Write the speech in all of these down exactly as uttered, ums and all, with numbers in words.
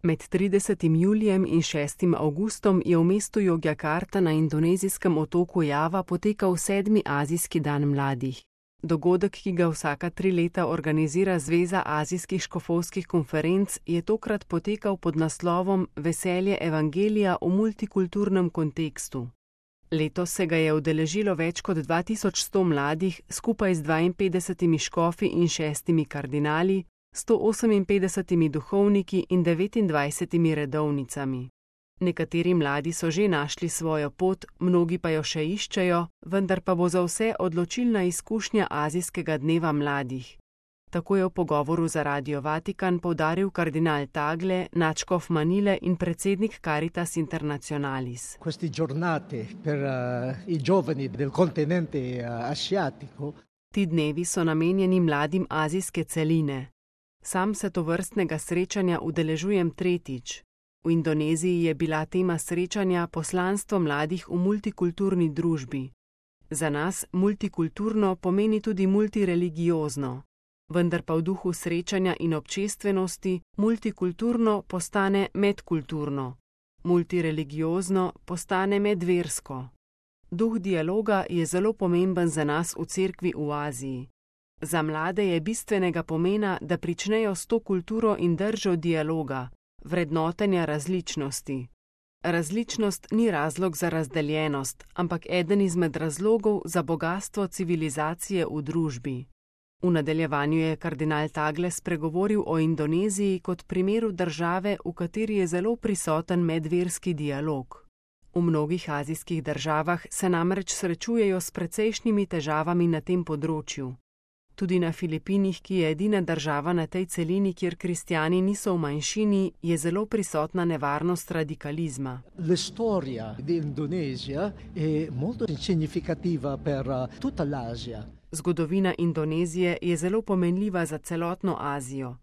Med tridesetim julijem in šestim avgustom je v mestu Jogjakarta na indonezijskem otoku Java potekal sedmi azijski dan mladih. Dogodek, ki ga vsaka tri leta organizira Zveza azijskih škofovskih konferenc, je tokrat potekal pod naslovom Veselje evangelija v multikulturnem kontekstu. Letos se ga je udeležilo več kot dva tisoč sto mladih skupaj z dvainpetdesetimi škofi in šestimi kardinali, sto oseminpetdesetimi duhovniki in devetindvajsetimi redovnicami. Nekateri mladi so že našli svojo pot, mnogi pa jo še iščejo, vendar pa bo za vse odločilna izkušnja azijskega dneva mladih. Tako je v pogovoru za Radio Vatikan poudaril kardinal Tagle, nadškof Manile in predsednik Caritas Internationalis. Queste giornate per uh, i giovani del continente uh, asiatico. Ti dnevi so namenjeni mladim azijske celine. Sam se tovrstnega srečanja udeležujem tretjič. V Indoneziji je bila tema srečanja poslanstvo mladih v multikulturni družbi. Za nas multikulturno pomeni tudi multireligiozno, vendar pa v duhu srečanja in občestvenosti multikulturno postane medkulturno, multireligiozno postane medversko. Duh dialoga je zelo pomemben za nas v cerkvi v Aziji. Za mlade je bistvenega pomena, da pričnejo s to kulturo in držo dialoga, vrednotenja različnosti. Različnost ni razlog za razdeljenost, ampak eden izmed razlogov za bogastvo civilizacije v družbi. V nadaljevanju je kardinal Tagle spregovoril o Indoneziji kot primeru države, v kateri je zelo prisoten medverski dialog. V mnogih azijskih državah se namreč srečujejo s precejšnjimi težavami na tem področju. Tudi na Filipinih, ki je edina država na tej celini, kjer kristjani niso v manjšini, je zelo prisotna nevarnost radikalizma. La storia di Indonesia è molto significativa per tutta l'Asia. Zgodovina Indonezije je zelo pomenljiva za celotno Azijo.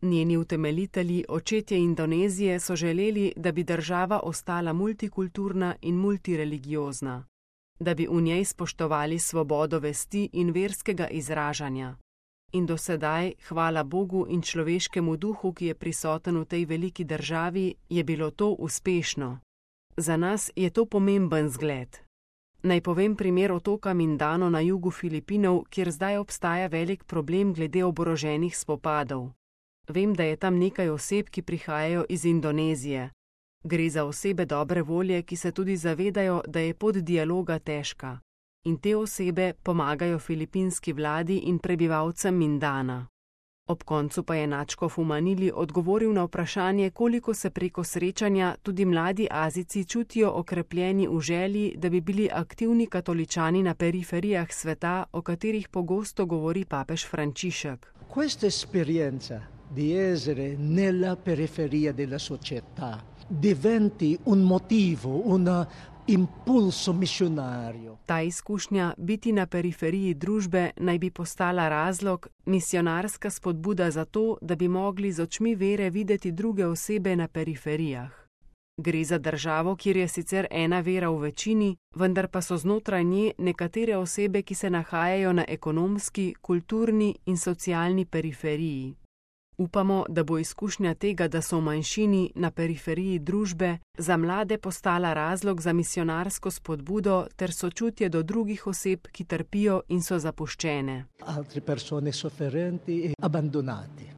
Njeni utemeljitelji, očetje Indonezije, so želeli, da bi država ostala multikulturna in multireligiozna, da bi v njej spoštovali svobodo vesti in verskega izražanja. In do sedaj, hvala Bogu in človeškemu duhu, ki je prisoten v tej veliki državi, je bilo to uspešno. Za nas je to pomemben zgled. Naj povem primer otoka Mindano na jugu Filipinov, kjer zdaj obstaja velik problem glede oboroženih spopadov. Vem, da je tam nekaj oseb, ki prihajajo iz Indonezije. Gre za osebe dobre volje, ki se tudi zavedajo, da je pot dialoga težka. In te osebe pomagajo filipinski vladi in prebivalcem Mindana. Ob koncu pa je nadškof v Manili odgovoril na vprašanje, koliko se preko srečanja tudi mladi Azijci čutijo okrepljeni v želji, da bi bili aktivni katoličani na periferijah sveta, o katerih pogosto govori papež Frančišek. Questa esperienza di essere nella periferia della società diventi un motivo, un impulso missionario. Ta izkušnja biti na periferiji družbe naj bi postala razlog, misionarska spodbuda za to, da bi mogli z očmi vere videti druge osebe na periferijah. Gre za državo, kjer je sicer ena vera v večini, vendar pa so znotraj nje nekatere osebe, ki se nahajajo na ekonomski, kulturni in socialni periferiji. Upamo, da bo izkušnja tega, da so v manjšini na periferiji družbe, za mlade postala razlog za misionarsko spodbudo ter sočutje do drugih oseb, ki trpijo in so zapuščene. Altre persone sofferenti e abbandonate.